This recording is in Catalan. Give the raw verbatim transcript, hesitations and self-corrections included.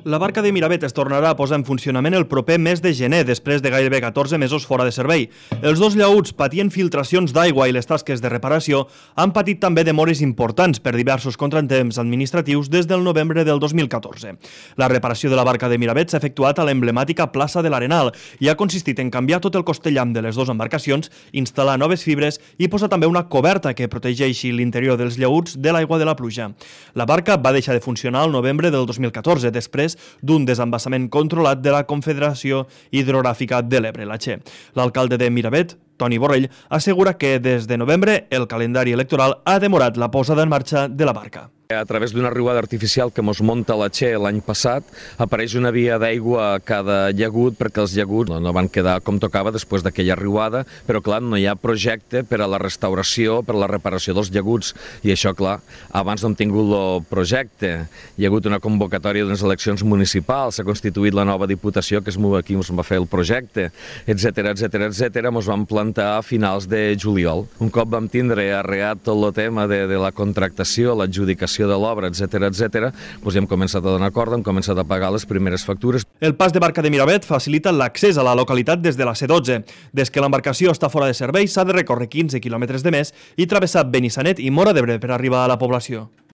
La barca de Miravet es tornarà a posar en funcionament el proper mes de gener, després de gairebé catorze mesos fora de servei. Els dos llaüts patien filtracions d'aigua i les tasques de reparació han patit també demores importants per diversos contratemps administratius des del novembre del dos mil catorze. La reparació de la barca de Miravet s'ha efectuat a l'emblemàtica plaça de l'Arenal i ha consistit en canviar tot el costellam de les dues embarcacions, instal·lar noves fibres i posar també una coberta que protegeixi l'interior dels llaüts de l'aigua de la pluja. La barca va deixar de funcionar al novembre del dos mil catorze, després d'un desembassament controlat de la Confederació Hidrogràfica de l'Ebre, la Che. L'alcalde de Miravet, Toni Borrell, assegura que des de novembre el calendari electoral ha demorat la posada en marxa de la barca. A través d'una riuada artificial que mos munta la Che l'any passat, apareix una via d'aigua a cada llagut perquè els llaguts no van quedar com tocava després d'aquella riuada, però clar, no hi ha projecte per a la restauració, per a la reparació dels llaguts, i això, clar, abans no hem tingut el projecte. Hi ha hagut una convocatòria d'unes eleccions municipals, s'ha constituït la nova diputació que és aquí ens va fer el projecte, etcètera, etcètera, etcètera, ens vam plantar a finals de juliol. Un cop vam tindre arreat tot el tema de, de la contractació, l'adjudicació de l'obra, etcètera, etcètera, doncs hem començat a donar acord, hem començat a pagar les primeres factures. El pas de barca de Miravet facilita l'accés a la localitat des de la C dotze. Des que l'embarcació està fora de servei s'ha de recórrer quinze quilòmetres de més i travessar Benissanet i Móra d'Ebre per arribar a la població.